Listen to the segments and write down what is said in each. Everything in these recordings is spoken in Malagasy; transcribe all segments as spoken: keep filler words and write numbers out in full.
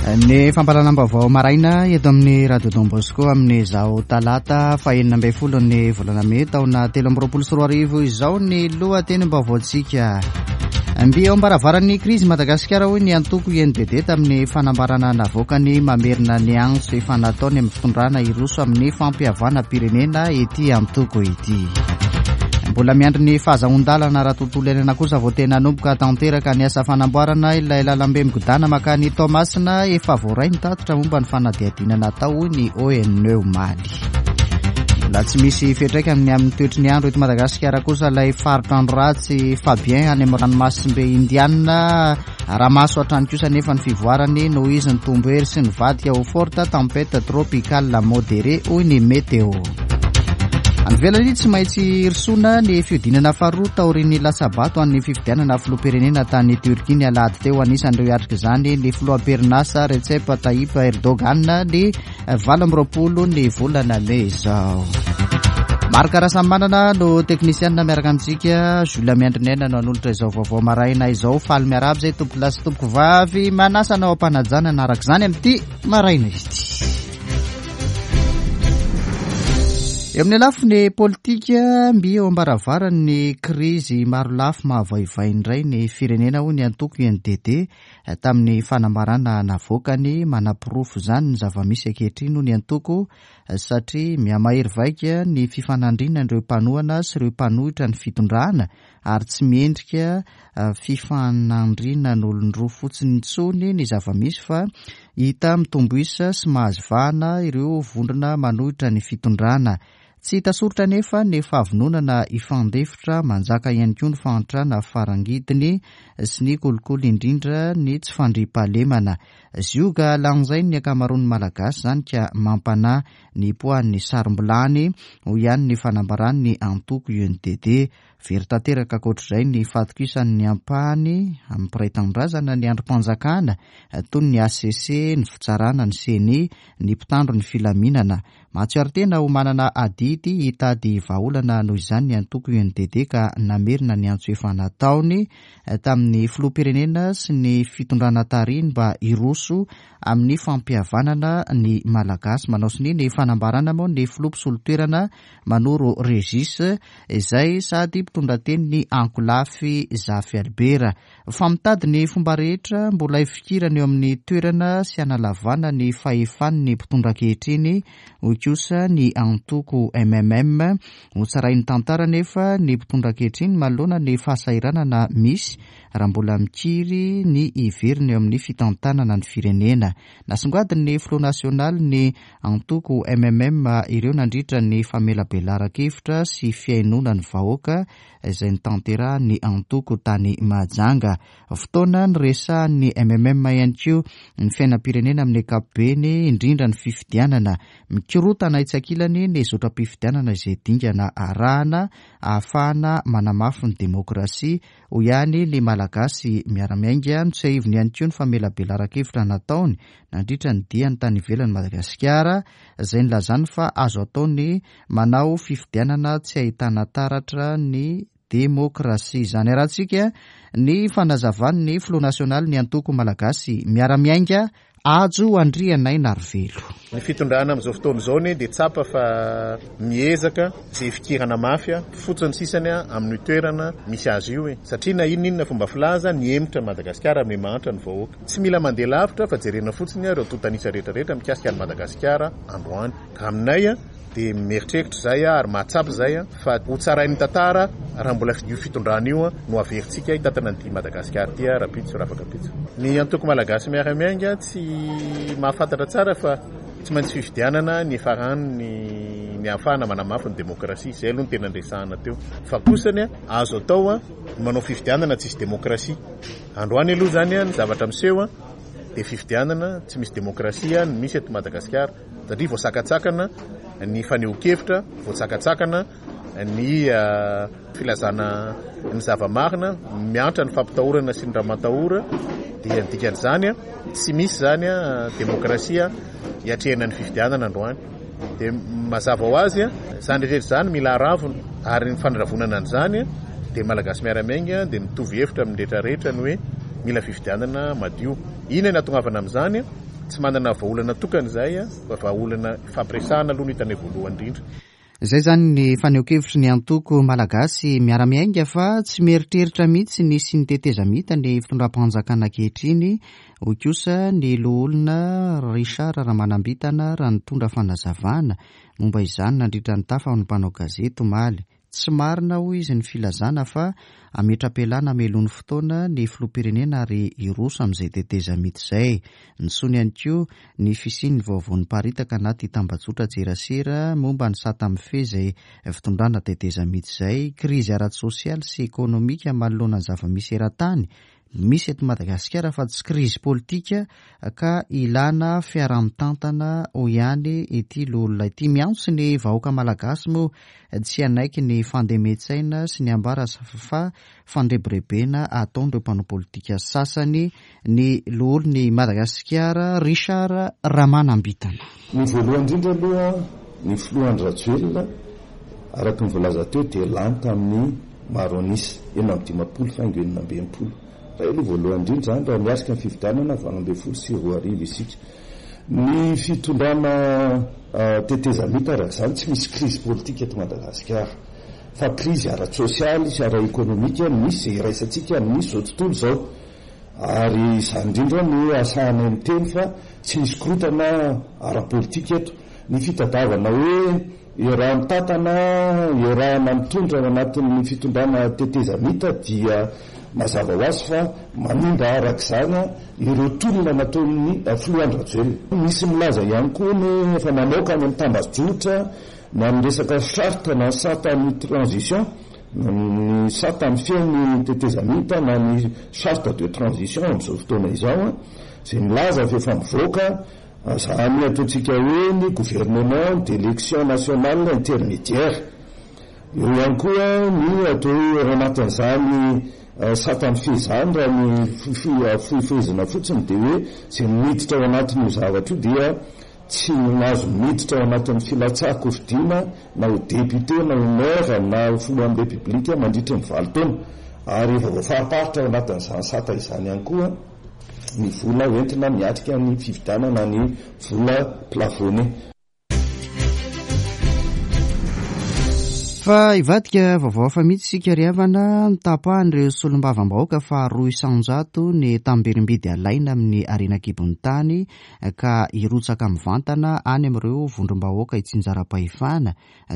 Ny fampahalalam-baovao maraina eto amin'ny Radio Don Bosco amin'izao talata fahenina ambin'ny folo ny volana mey taona telo amby roapolo sy roa arivo izao ny lohatenim-baovaontsika. Mby eo am-baravaran'ny krizy Madagasikara hoy ny antoko U N D D tamin'ny fanambarana navoakany mamerina ny antso efa nataony amin'ny fitondrana hiroso amin'ny fampihavanam-pirenena ity antoko ity. Mbola miandry ny fahazahoan-dalana raha tontolo iainana kosa vao tena hanomboka tanteraka ny asa fanamboarana ilay lalambe migodana makany Toamasina efa voaray ny tatitra momba ny fanadihadiana natao hoy ny O N E omaly. Mbola tsy misy fiantraikany ny amin'ny toetry ny andro eto Madagasikara kosa ilay faritra andro ratsy Fabien any amin'ny ranomasimbe Indiana. Ramaso hatrany kosa nefa ny fivoarany noho izy nitombo hery sy nivadika ho forte tempête tropicale modérée hoy ny météo. Any ivelany tsy maintsy hirosoana ny fihodinana faharoa taorian'ny latsabato an'ny fifidianana filoham-pirenena tany Turquie ny alahady teo. Anisan'ireo hiatrika izany ny filoham-pirenasa Recep Tayyip Erdogan ny valo amby roapolo ny volana mey izao. Marc Rasamanana no teknisianina miaraka amintsika, Jules Miandrinena no hanolotra izao vaovao maraina izao. Faly miarahaba izay tompoko lahy sy tompoko vavy, manasa anao am-panajana hanaraka izany amin'ity maraina ity. Eo amin'ny lafiny politika, mby eo am-baravaran'ny krizy marolafy mahavaivay indray ny firenena hoy ny antoko U N D D tamin'ny fanambarana navoakany. Manaporofo izany ny zava-misy ankehitriny hoy ny antoko satria mihamahery vaika ny fifanandrinan'ireo mpanohana sy ireo mpanohitra ny fitondrana ary tsy miendrika fifanandrinan'olon-droa fotsiny intsony ny zava-misy fa hita mitombo isa sy mahazo vahana ireo vondrona manohitra ny fitondrana. Tsy hita soritra nefa ny fahavononana hifandefitra, manjaka ihany koa ny fahantrana farangidiny sy ny kolikoly indrindra ny tsy fandriampahalemana. Zioga lanjainy ny ankamaroan'ny Malagasy izany ka mampanahy ny poan'ny sarom-bilany hoy ihany ny fanambaran'ny antoko U N D D. Very tanteraka ankoatr'izay ny fahatokisan'ny ampahany amin'ny mpiray tanindrazana ny andrim-panjakana toy ny A C C, ny fitsarana, ny C N I, ny mpitandro ny filaminana. Mahatsiaro tena ho manana adidy hitady vahaolana noho izany ny antoko U N D D ka namerina ny antso efa nataony tamin'ny filoham-pirenena sy ny fitondrana tarihiny mba hiroso amin'ny fampihavanana ny Malagasy. Manao sonia ny fanambarana moa ny filoha mpisolo toerana Manoro Régis izay sady mpitondra teny ny ankolafy Zafy Albert. Fa mitady ny fomba rehetra mbola hifikirana eo amin'ny toerana sy hanalavana ny fahefan'ny mpitondra ankehitriny hoy kosa ny antoko M M M. Hotsarain'ny tantara nefa ny mpitondra ankehitriny manoloana ny fahasahiranana misy raha mbola mikiry ny hiverina eo amin'ny fitantanana ny firenena. Nasongadin'ny filoha nasionaly ny antoko M M M ireo nandritra ny famelabelaran-kevitra sy fihainoana ny vahoaka izay notanterahan'ny antoko tany Mahajanga. Fotoana niresahan'ny M M M ihany koa ny fiainam-pirenena amin'ny ankapobeny, indrindra ny fifidianana. Mikorotana etsy ankilany ny zotram-pifidianana izay dingana arahana ahafahana manamafy ny demokrasia hoy ihany ny Malagasy miara-miainga. Notsiahiviny ihany koa ny famelabelaran-kevitra nataony nandritra ny diany tany ivelan'i Madagasikara izay nilazany fa azo atao ny manao fifidianana tsy ahitana taratra ny demokrasia. Izany arahantsika ny fanazavan'ny filoha nasionaly ny antoko Malagasy miara-miainga Hajo Andrianainarivelo. Ny fitondrana amin'izao fotoana izao ny dia tsapa fa miezaka izay fikirana mafy fotsiny sisany amin'ny toerana misy azy io e. Satria na inona inona fomba filaza nihemotra Madagasikara amin'ny mahantra ny vahoaka. Tsy mila mandeha lavitra fa jerena fotsiny ireo tontanisa rehetrarehetra mikasika an'i Madagasikara androany. Ka aminay dia mieritreritra izay ary mahatsapa izay fa ho tsarain'ny tantara raha mbola io fitondrana io no averintsika hitantana an'ity Madagasikara ity rahampitso raha afaka ampitso. Ny antoko Malagasy miara-miainga tsy mahafantatra tsara fa tsy maintsy fifidianana ny farany ny ahafahana manamafy ny demokrasia. Izay aloha no tena niresahana teo. Fa kosany azo atao ny manao fifidianana tsisy demokrasia. Androany aloha izany ny zavatra miseho dia fifidianana tsy misy demokrasia ny misy eto Madagasikara satria voasakatsakana ny fanehoan-kevitra, voasakatsakana ny filazana ny zava-marina, miantra ny fampitahorana sy ny ramatahora. Dia ny dikan'izany tsy misy izany demokrasia hiatrehana ny fifidianana androany. Dia mazava ho azy izany rehetra izany mila aravona ary ny fandravoanana an'izany dia Malagasy miara-miainga dia mitovy hevitra amin'ny rehetra rehetra ny hoe mila fifidianana madio. Inona no hahatongavana amin'izany? Tsy manana vahaolana tokana izay a, fa vahaolana fampiresahana aloha no hitanay voalohany indrindra. Izay izany ny fanehoan-kevitry ny antoko Malagasy Miara-Miainga fa tsy mieritreritra mihitsy ny sy ny tetezamita ny fitondram-panjakana ankehitriny, hoy kosa ny loholona Richard Ramanambitana raha nitondra fanazavana momba izany nandritra ny tafa ho an'ny mpanao gazety omaly. Tsy marina, hoy izy, ny filazana fa hametra-pialana hamelon'ny fotoana ny filoham-pirenena ary hiroso amin'izay tetezamita izay. Nisoany ihany koa ny fisian'ny vaovao niparitaka anaty tambajotra serasera momba ny sata mifehy izay fitondrana tetezamita izay, krizy ara-tsosialy sy ekonomika manoloana ny zava-misy eran-tany misy eto Madagasikara fa tsy krizy politika ka ilana fiaraha-mitantana, hoy ihany ity loholona ity. Miantso ny vahoaka malagasy moa tsy hanaiky ny fandemen-tsaina sy ny ambara fa fandrebirebena ataon'ireo mpanao politika sasany ny loholon'i Madagasikara Richard Ramanambitana. Ny voalohany indrindra aloha, ny filoha Andry Rajoelina, araka ny voalaza teo, dia lany tamin'ny maro an'isa enina amby dimampolo faingo enina amby enimpolo. Raha aloha voalohany indrindra zany raha miatrika ny fifidianana valo ambin'ny folo sy roa arivo isika. Ny fitondrana tetezamita araka izany tsy misy krizy politika eto Madagasikara, fa krizy ara-tsosialy sy ara-ekonomika misy izay iraisantsika amin'izao tontolo izao. Ary izany indrindra no ahasahanay miteny fa tsy misy korontana ara-politika eto. Ny fitadiavana hoe iaraha-mitantana, iarahana mitondra ao anatin'ny fitondrana tetezamita dia mazava ho azy fa manimba araka izany ireo tolona nataon'ny filoha Andry Rajoelina. Misy milaza ihany koa ny efa mamoaka any amin'ny tambajotra na ny resaka charte na ny sata ny transition, na ny sata mifehy ny tetezamita na ny charte de transition amin'izao fotoana izao, izay milaza fa efa mivoaka zany ataontsika hoe ny gouvernement d'élection nationale intermédiaire. Eo ihany koa ny atao hoe ao anatin'izany sata mifehy izany, raha ny fohifehezina fotsiny dia hoe izay miditra ao anatin'io zavatra io dia tsy mahazo miditra ao anatin'ny filatsahan-kofidina na ho député na ho maire na ho filohan'ny Repoblika mandritra ny valo taona. Ary efa voafariparitra ao anatin'izany sata izany ihany koa ny vola hoentina miatrika ny fifidianana, ny vola plafonné. Fa hivadika vaovao hafa mihitsy isika ry havana. Nitapahan'ireo solombavambahoaka fa roa isanjato ny tamberim-bidy alaina amin'ny harena an-kibon'ny tany ka hirotsaka mivantana any amin'ireo vondrom-bahoaka itsinjaram-pahefana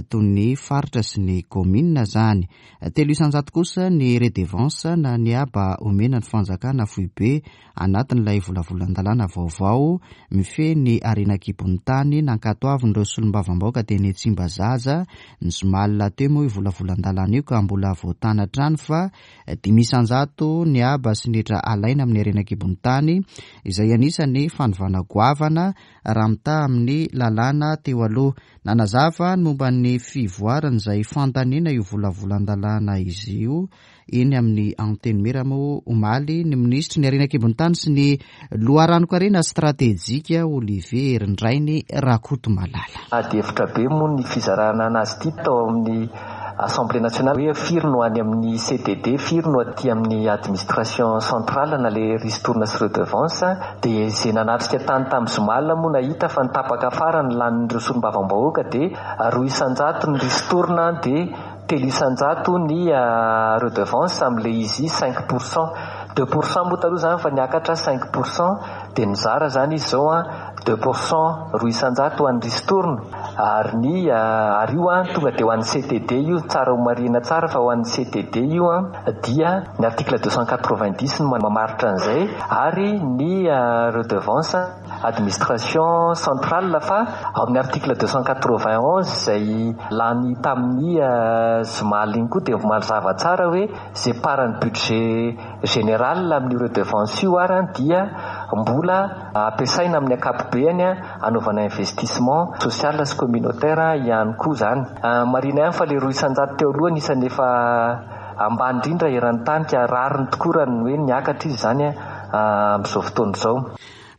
toy ny faritra sy ny kaominina izany. Telo isanjato kosa ny redevance na ny haba omena ny fanjakana foibe anatin'ilay volavolan-dalàna vaovao mifehy ny harena an-kibon'ny tany nankatoavin'ireo solombavambahoaka teny Tsimbazaza ny zoma alina teo moa io volavolan-dalàna io ka mbola voatana hatrany fa dimy isanjato ny haba sy ny hetra alaina amin'ny harena an-kibon'ny tany izay anisan'ny fanovana goavana raha mitaha amin'ny lalàna teo aloha. Nanazava ny momba ny fivoaran'izay fandaniana io volavolan-dalàna izy io eny amin'ny Antenimiera moa omaly ny minisitry ny harena an-kibon'ny tany sy ny loharanon-karena stratejika Olivier Herindrainy Rakotomalala. Ady hevitra be moa ny fizarana anazy ity tao amin'ny Assemblée nationale hoe firy no any amin'ny C T D, firy no aty amin'ny administration centrale na le ristourne sy redevance. Dia izay nanatrika tany tamin'ny zoma alina moa nahita fa ny tapaka farany lanin'ireo solombavambahoaka dia roa isanjato ny ristourne, dia telo isanjato ny redevance amin'ilay izy cinq pour cent. Deux pour cent moa taloha izany fa niakatra cinq pour cent, dia nizara izany izy izao a, deux pour cent roa isanjato ho an'ny ristourne, ary ny, ary io a, tonga dia ho an'ny C T D io, tsara ho marihina tsara fa ho an'ny C T D io a, dia ny article deux cent quatre-vingt-dix no mamaritra an'izay, ary ny redevance administration centrale fa ao amin'ny article deux cent quatre-vingt-onze izay lany tamin'ny zoma alina iny koa dia mazava tsara hoe izay paran'ny budget général amin'io redevance io ary dia mbola ampiasaina amin'ny ankapobeny anaovana investissement social sy communautaire ihany koa izany. Marihina ihany fa ilay roa isanjato teo aloha anisan'ny efa ambany indrindra eran-tany ka rariny tokoa raha ny hoe niakatra izy izany amin'izao fotoana izao.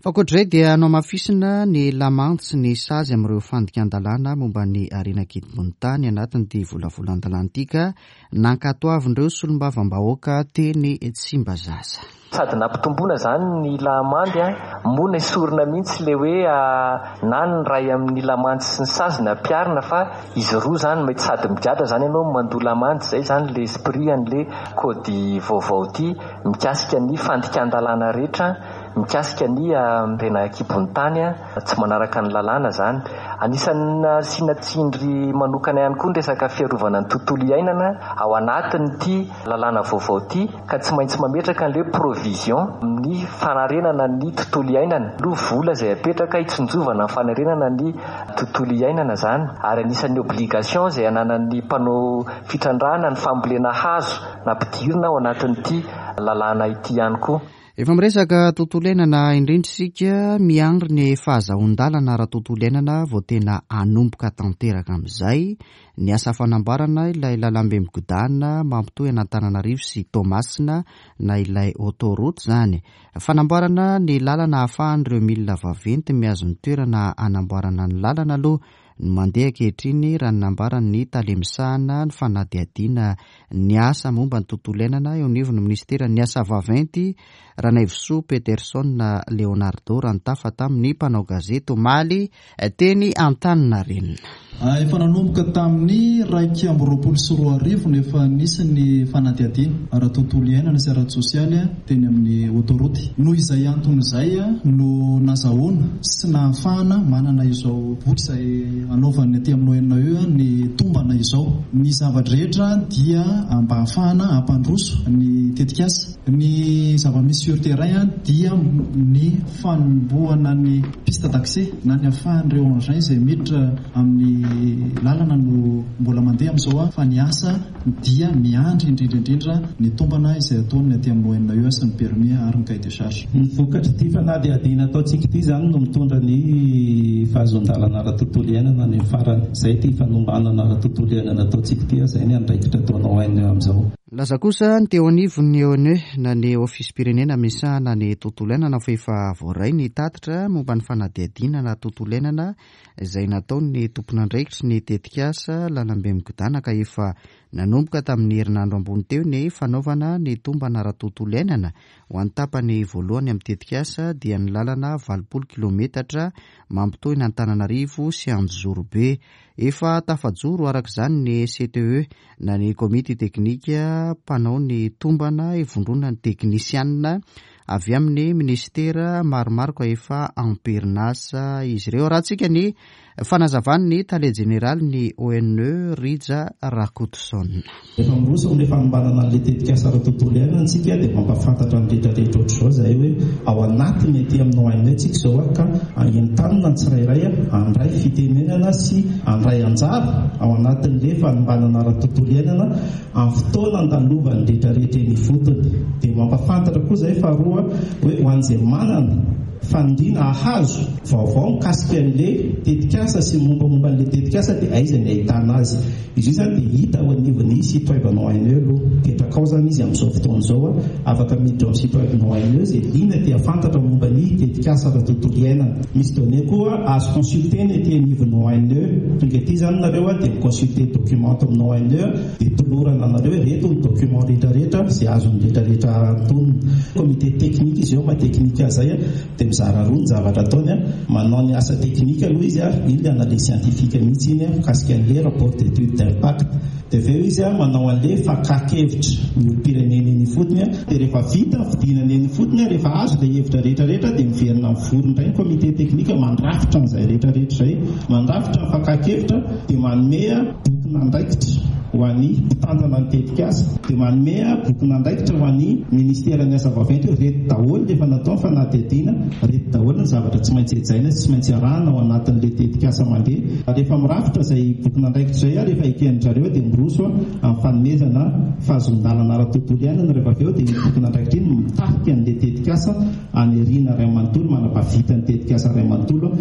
Fa ankoatr'izay dia nohamafisina ny lamandy sy ny sazy amin'ireo fandikan-dalàna momba ny harena an-kibon'ny tany anatin'ity volavolan-dalàna ity ka nankatoavin'ireo solombavambahoaka teny Tsimbazaza. Sady nampitomboana izany ny lamandy, moa nesorina mihitsy ilay hoe na ny iray amin'ny lamandy sy ny sazy no ampiharina fa izy roa izany mety sady migadra izany ianao mandoa lamandy. Izay izany ilay esprit an'ilay kôdy vaovao ity mikasika ny fandikan-dalàna rehetra, mikasika ny harena an-kibon'ny tany tsy manaraka ny lalàna izany. Anisan'ny nasiana tsindry manokana ihany koa ny resaka fiarovana ny tontolo iainana ao anatin'ity lalàna vaovao ity ka tsy maintsy mametraka an'ilay provision ny fanarenana ny tontolo iainana. Aloha vola izay apetraka hitsinjovana ny fanarenana ny tontolo iainana izany, ary anisan'ny obligation izay ananan'ny mpanao fitrandrahana ny fambolena hazo nampidirina ao anatin'ity lalàna ity ihany koa. Efa miresaka tontolo iainana indrindra isika, miandry ny fahazahoan-dalana ara-tontolo iainana vao tena hanomboka tanteraka amin'izay ny asa fanamboarana ilay lalambe migodana mampitohy an'Antananarivo sy Toamasina na ilay autoroute izany. Fanamboarana ny lalana ahafahan'ireo milina vaventy mihazo ny toerana hanamboarana ny lalana aloha no mandeha ankehitriny, raha ny nambaran'ny tale misahana ny fanadihadiana ny asa momba ny tontolo iainana eo anivon'ny ministeran'ny asa vaventy, Ranaivosoa Peterson Leonardo, raha nitafa tamin'ny mpanao gazety omaly teny Antaninarenina. Efa nanomboka tamin'ny iraika amby roapolo sy roa arivo no efa nisy ny fanadihadiana ara-tontolo iainana sy ara-tsosialy teny amin'ny autoroute. Noho izay antony izay no nazahoana sy nahafahana manana izao boky izay anaovan'ny aty amin'ny O N E ny tombana izao. Ny zava-drehetra dia mba hahafahana hampandroso ny tetikasa. Ny zava-misy sur terrain dia ny fanombohana ny piste d'accès na ny ahafahan'ireo engin izay miditra amin'ny lalana no mbola mandeha amin'izao, fa ny asa dia miandry indrindra indrindra ny tombana izay ataon'ny aty amin'ny O N E sy ny permis ary ny cahier de charge. Ny vokatr'ity fanadihadiana ataontsika ity izany no mitondra ny fahazoan-dalana ara-tontolo iainana any amin'ny farany. Izay ity fanombanana ara-tontolo iainana ataontsika ity, izay ny andraikitra ataonao O N E amin'izao. Laza kosa ny teo anivon'ny O N E na ny ofisim-pirenena misahana ny tontolo iainana fa efa voaray ny tatitra momba ny fanadihadiana na tontolo iainana izay nataon'ny tompon'andraikitry ny tetikasa lalambe migodana ka efa nanomboka tamin'ny herinandro ambony teo ny fanaovana ny tombana ara-tontolo iainana ho an'ny tapany voalohany amin'ny tetikasa dia ny lalana valopolo kilometatra mampitohy ny Antananarivo sy Anjozorobe. Efa tafajoro araka izany ny C T E na ny komity teknika mpanao ny tombana ivondronan'ny teknisianina avy amin'ny ministera maromaro ka efa am-perinasa izy ireo. Rahantsika ny fanazavan'ny tale jeneraly ny O N E Rija Rakotoson. Efa miroso amin'ilay fanombanana an'ilay tetikasa ara-tontolo iainana isika dia mampahafantatra ny rehetrarehetra ohatr'izao izahay hoe ao anatiny aty amin'ny O N E tsika izao ka entanina ny tsirairay handray fitenenana sy handray anjara ao anatin'ilay fanombanana ara-tontolo iainana amin'ny fotoana andalovan'ny rehetrarehetra eny ifotony. Dia mampahafantatra koa izahay faharoa hoe ho an'izay manana faniriana hahazo vaovao mikasika an'ilay tetikasa sy mombamomba an'ilay tetikasa dia aiza ny ahitana azy. Izy io izany dia hita ao anivon'ny site web anao O N E aloha. Mipetraka ao izany izy amin'izao fotoana izao, afaka miditra ao amin'ny site web anao O N E izay liana te hahafantatra momba ny tetikasa ara-tontolo iainana. Misy données koa azo consulter-na ety anivon'ny O N E. Tonga ety izany nareo dia mi-consulter document ato amin'ny O N E dia tolorana anareo hoe ireto ny document rehetrarehetra izay azon'ny rehetrarehetra antonona. Comité technique izy eo, maha teknika azy izay dia mizara roa ny zavatra ataony. Manao ny asa teknika aloha izy, iny ilay analyse scientifique mihitsy iny mikasika an'ilay rapport d'étude d'impact. Dia avy eo izy manao an'ilay fakan-kevitra ny olom-pirenena eny ifotony. Dia rehefa vita ny fidinana eny ifotony, rehefa azo ilay hevitra rehetrarehetra dia miverina mivory indray ny comité technique mandrafitra an'izay rehetrarehetra izay, mandrafitra ny fakan-kevitra dia manome bokin'andraikitra ho an'ny mpitantana ny tetikasa, dia manome bokin'andraikitra ho an'ny ministeran'ny asa vaventy hoe reto daholo rehefa natao ny fanadihadiana, reto daholo ny zavatra tsy maintsy hajaina sy tsy maintsy arahana ao anatin'ilay tetikasa mandeha. Rehefa mirafitra izay bokin'andraikitra izay, rehefa eken'ny zareo dia miroso amin'ny fanomezana fahazoan-dalana ara-tontolo iainana. Rehefa avy eo dia ny bokin'andraikitra iny mitarika an'ilay tetikasa any aoriana iray manontolo, manam-pahavita ny tetikasa iray manontolo.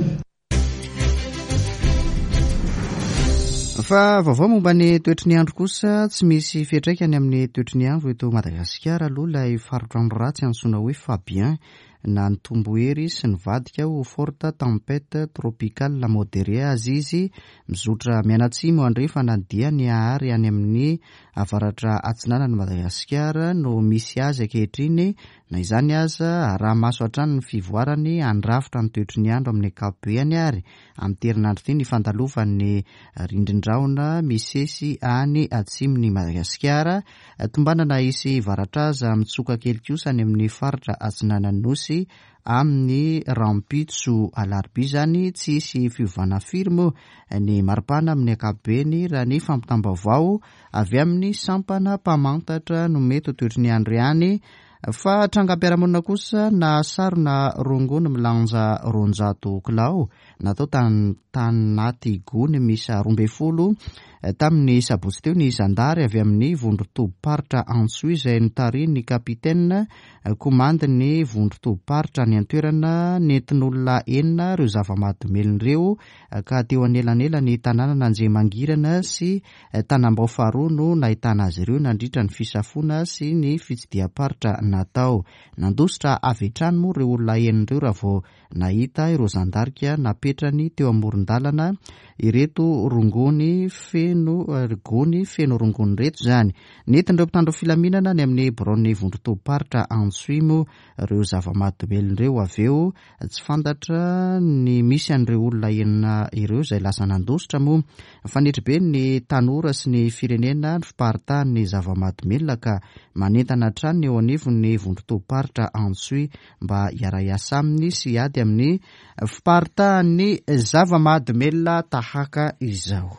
Fa vaovao momba ny toetry ny andro kosa, tsy misy fiantraikany amin'ny toetry ny andro eto Madagasikara aloha ilay faritr'andro ratsy antsoina hoe Fabien Na nitombo hery sy nivadika ho forte tempête tropicale modérée azy izy, mizotra mianatsimo andrefana dia ny ary any amin'ny avaratra atsinanan'i Madagasikara no misy azy ankehitriny. Na izany aza, raha maso hatrany ny fivoarany handrafitra ny toetry ny andro amin'ny ankapobeny ary amin'ity herinandro ity ny fandalovan'ny rindrin-drahona misesy any atsimon'i Madagasikara. Tombanana hisy varatra aza mitsoka kely kosa any amin'ny faritra atsinanan'ny Nosy amin'ny rahampitso alarobia izany. Tsy hisy fiovana firy moa ny maripana amin'ny ankapobeny raha ny fampitam-baovao avy amin'ny sampana mpamantatra no mety ho toetry ny andro ihany. Fa trangam-piarahamonina kosa na sarona rongony milanja roanjato kilao natao tanaty gony miisa roa ambin'ny folo tamin'ny sabotsy teo ny zandary avy amin'ny vondron-tobim-paritra Antsohihy izay notarihin'ny kapitena komandin'ny vondron-tobim-paritra any an-toerana. Nentin'olona enina ireo zava-mahadomelina ireo ka teo anelanelany tanànan'Anjemangirana sy Tanambao faharoa no nahitana azy ireo nandritra ny fisafoana sy ny fitsidiham-paritra natao. Nandositra avy hatrany moa ireo olona enina ireo raha vao nahita ireo zandarika napetrany teo amoron-dalana ireto rongony feno gony feno rongony ireto izany. Nentin'ireo mpitandro filaminana any amin'ny biraon'ny vondron-tobim-paritra Antsohihy moa ireo zava-mahadomelina ireo avy eo. Tsy fantatra ny misy an'ireo olona enina ireo izay lasa nandositra moa. Mifanetribe ny tanora sy ny firenena ny fiparitahan'ny zava-mahadomelina ka manentana hatrany eo anivon'ny vondron-tobim-paritra Antsohihy mba hiara-hiasa aminy sy hiady amin'ny fiparitahan'ny zava-mahadomelina tahaka izao.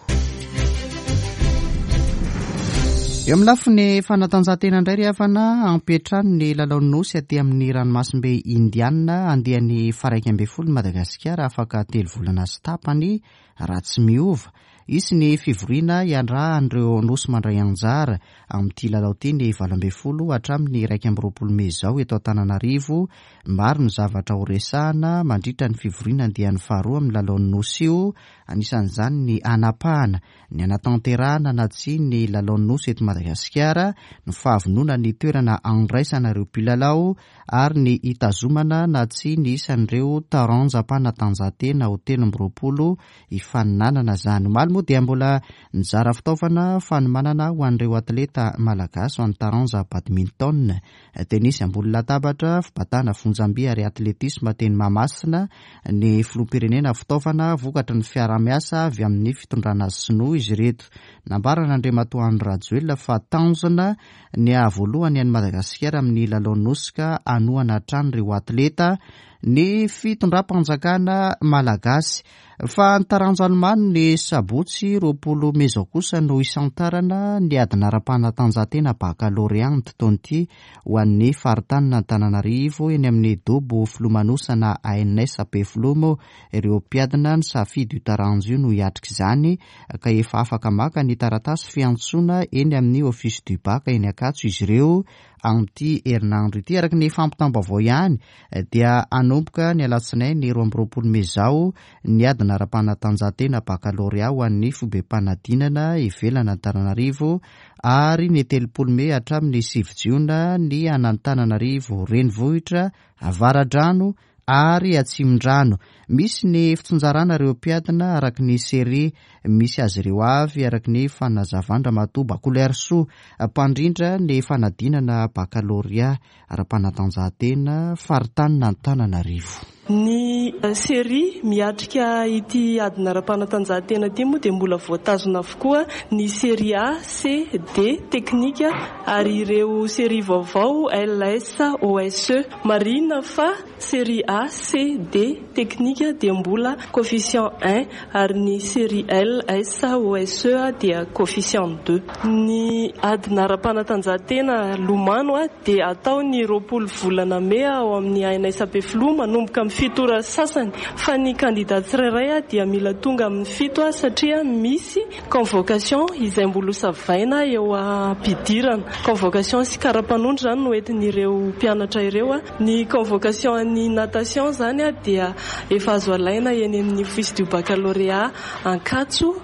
Eo amin'ny lafiny fanatanjahantena indray ry havana, ampiantrano ny lalaon'ny Nosy aty amin'ny ranomasimbe Indiana andiany faha-iraika ambin'ny folo Madagasikara afaka telo volana sy tapany raha tsy miova. Hisy ny fivoriana iarahan'ireo Nosy mandray anjara amin'ity lalao ity ny valo ambin'ny folo hatramin'ny iraika amby roapolo mey izao eto Antananarivo. Maro ny zavatra ho resahana mandritra ny fivoriana andiany faharoa amin'ny lalaon'ny Nosy io, anisan'izany ny hanapahana, ny hanatanterahana na tsia ny lalaon'ny Nosy eto Madagasikara, ny fahavonona ny toerana andraisana ireo mpilalao ary ny hitazomana na tsia ny isan'ireo taranjam-panatanjahantena ho telo amby roapolo hifaninanana izany. Omaly moa dia mbola nizara fitaovana fanomanana ho an'ireo atleta malagasy ho an'ny taranja badminton, tenisy ambony latabatra, fibatana fonjamby ary atletisma teny Mahamasina ny filoham-pirenena. Fitaovana vokatry ny fiarahamiasa avy amin'ny fitondrana sinoa izy ireto. Nambaran'Andriamatoa Andry Rajoelina fa tanjona ny hahavoalohany an'i Madagasikara amin'ny lalaon'ny Nosy ka hanohana hatrany ireo atleta ny fitondram-panjakana malagasy. Fa ny taranja lomano ny sabotsy roapolo mey izao kosa no isantarana ny adina ara-panatanjahantena bakalorea amin'ity taona ity ho an'ny faritanin'Antananarivo eny amin'ny dobo filomanosana A N S Ampefiloha moa ireo mpiadina ny safidy io taranja io no hiatrika izany ka efa afaka maka ny taratasy fiantsoana eny amin'ny Office du Bac eny Ankatso izy ireo amin'ity herinandro ity. Araka ny fampitam-baovao ihany dia hanomboka ny alatsinainy roa amby roapolo mey izao ny adina ara-panatanjahantena bakalorea ho an'ny foibem-panadinana ivelan'Antananarivo ary ny telopolo mey hatramin'ny sivy jiona ny an'Antananarivo renivohitra, Avaradrano ary Atsimondrano. Misy ny fitsinjarana ireo mpiadina araka ny série misy azy ireo avy araka ny fanazavan-dRamatoa Bakolearisoa mpandrindra ny fanadinana bakalorea ara-panatanjahantena faritanin'Antananarivo. Ny série miatrika ity adina ara-panatanjahantena ity moa dia mbola voatazona avokoa ny série A, C, D teknika ary ireo série vaovao L, S, O, S, E. Marihina fa série A, C, D teknika dia mbola coefficient un ary ny série L, S, O, S, E dia coefficient deux. Ny adina ara-panatanjahantena lomano dia atao ny roapolo volana mey ao amin'ny A N S Ampefiloha manomboka amin'ny fito ora sasany fa ny kandida tsirairay dia mila tonga amin'ny fito satria misy convocation izay mbola hosavaina eo am-pidirana. Convocation sy kara-panondro izany no entin'ireo mpianatra ireo. Ny convocation an'ny natation izany dia efa azo alaina eny amin'ny Office du Baccalauréat Ankatso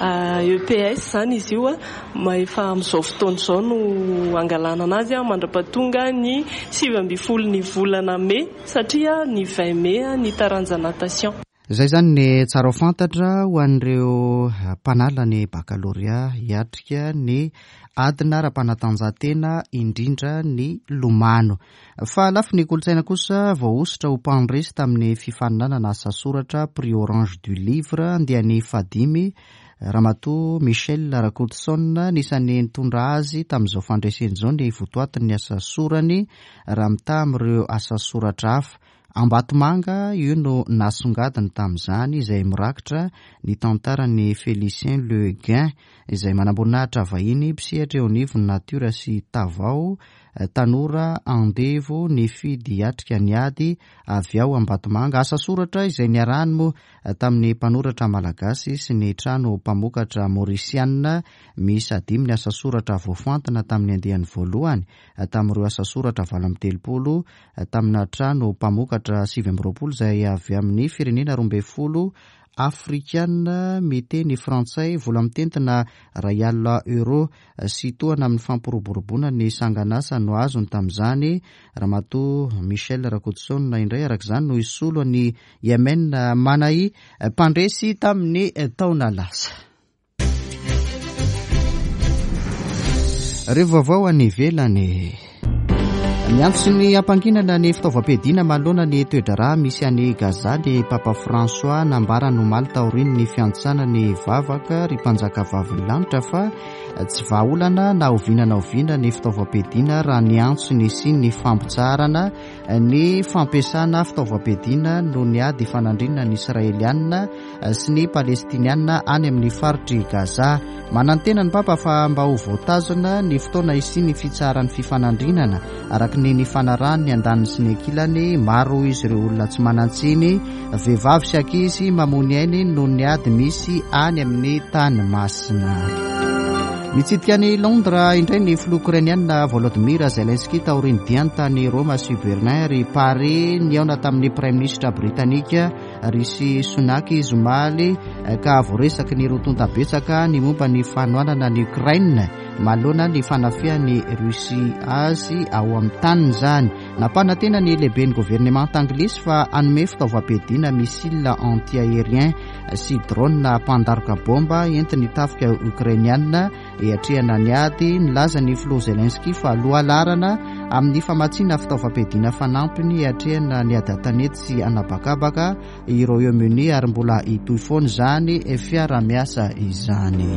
E P S zany izy io a, efa amin'izao fotoana izao no angalana anazy a, mandra-pahatonga ny sivy amby folo ny volana mey, satria ny vingt mai ny taranja natation. Zay zany ny tsara ho fantatra ho an'ireo mpanala ny bakalorea hiatrika ny adina ara-panatanjahantena, indrindra ny lomano. Fa lafiny kolontsaina kosa, voahosotra ho mpandresy tamin'ny fifaninanana asa soratra Prix Orange du Livre andiany fahadimy Ramatoa Michel Rakotoson. Nisan'ny nitondra azy tamin'izao fandreseny izao ny votoatin'ny asa sorany raha mitaha amin'ireo asa soratra hafa. Ambatomanga io no nasongadiny tamin'izany, izay mirakitra ny tantarany Félicien Le Guin, izay manamboninahitra vahiny mpisehatra eo anivon'ny natiora sy tavao, tanora andevo nifidy hiatrika ny ady avy ao Ambatomanga. Asa soratra izay niarahany moa tamin'ny mpanoratra malagasy sy ny trano mpamokatra maorisianina. Misy dimy ny asa soratra voafantina tamin'ny andiany voalohany tamin'ireo asa soratra valo amby telopolo tamina trano mpamokatra sivy amby roapolo izay avy amin'ny firenena roa amby folo afrikana miteny frantsay. Vola mitentina iray alina euro sy tohana amin'ny fampiroboroboana ny sanganasa no azony tamin'izany. Ramatoa Michel Rakotoson indray arak'izany no isolo ny Yemen Manahi, mpandresy tamin'ny taona lasa. Reo vaovao any ivelany: miantso ny ampanginana ny fitaovam-piadiana manoloana ny toe-draharaha misy any Gaza ny Papa François. Nambarany omaly taorian'ny fiantsana ny vavaka Ry Mpanjaka Vavin'ny Lanitra fa tsy vahaolana na oviana na oviana ny fitaovam-piadiana, raha ny antso ny sy ny fampitsaharana ny fampiasana fitaovam-piadiana no ny ady fanandrinana ny Israelianina sy ny Palestinianina any amin'ny faritry Gaza. Manantena ny Papa fa mba ho voatazona ny fotoana isi ny fitsaharan'ny fifanandrinana araka ny ny fanarahany ny andaniny sy ny ankilany. Maro izy ireo olona tsy manan-tsiny, vehivavy sy ankizy, mamoy ainy noho ny ady misy any amin'ny tany masina. Mitsidika ny Londres indray ny filoha ukrainianina Volodymyr Zelensky taorian'ny diany tany Roma sy Berlin ary Paris. Nihaona tamin'ny Premier ministre britannique Rishi Sunak izy omaly, ka voaresaky ny roa tonta betsaka ny momba ny fanohanana ny Ukraine manoloana ny fanafihan'ny Russie azy ao amin'ny taniny zany. Nampanantena ny lehiben'ny governemanta anglisy fa hanome fitaovam-piadiana missile anti-aérien sy drone mpandaroka bomba entiny tafika ukrainianina hiatrehana ny ady. Nilaza ny filoha Zelensky fa lohalarana amin'ny famatsiana fitaovam-piadiana fanampiny hiatrehana ny ady an-tanety sy anabakabaka i Royaume-Uni, ary mbola hitohy foana izany fiara-miasa izany.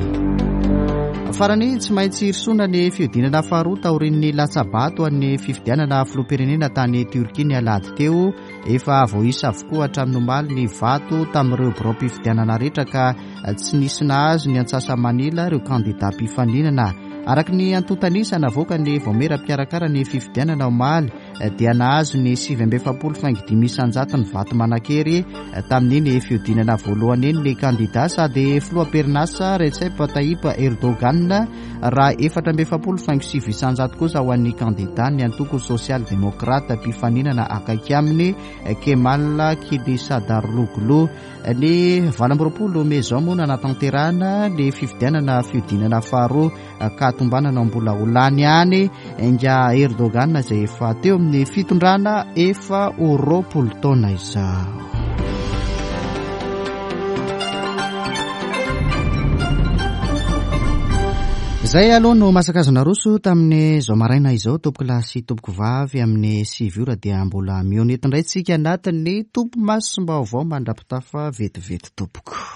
Farany, tsy maintsy hirosoana ny fihodinana faharoa taorian'ny latsabato an'ny fifidianana filoham-pirenena tany Turkia ny alahady teo. Efa voaisa avokoa hatramin'ny omaly ny vato tamin'ireo birao-pifidianana rehetra, ka tsy nisy nahazo ny antsasa-manila ireo kandida mpifaninana. Araka ny antontanisa navoaka ny vaomiera mpikarakara ny fifidianana omaly, dia nahazo ny sivy amby efapolo faingo dimy isanjato ny vato manan-kery tamin'iny fihodinana voalohany iny ny kandida sady filoham-perinasa Recep Tayyip Erdogan, raha efatra amby efapolo faingo sivy isanjato kosa ho an'ny kandida ny antoko social démocrate mpifaninana akaiky aminy, Kemal Kılıçdaroğlu. Ny valo amby roapolo mey zao moa nanatanterahana ny fifidianana fihodinana faharoa, ka tombanana mbola ho lany any nga Erdogan, izay efa teo amin'ny fitondrana efa ho roapolo taona izao. Zay aloha no masakazona roso tamin'ny zao maraina izao, tompoko lahy sy tompoko vavy. Amin'ny sivy ora dia mbola mihaona eto indray tsika anatin'ny Topimasom-baovao. Mandra-pitafa vetivety, tompoko.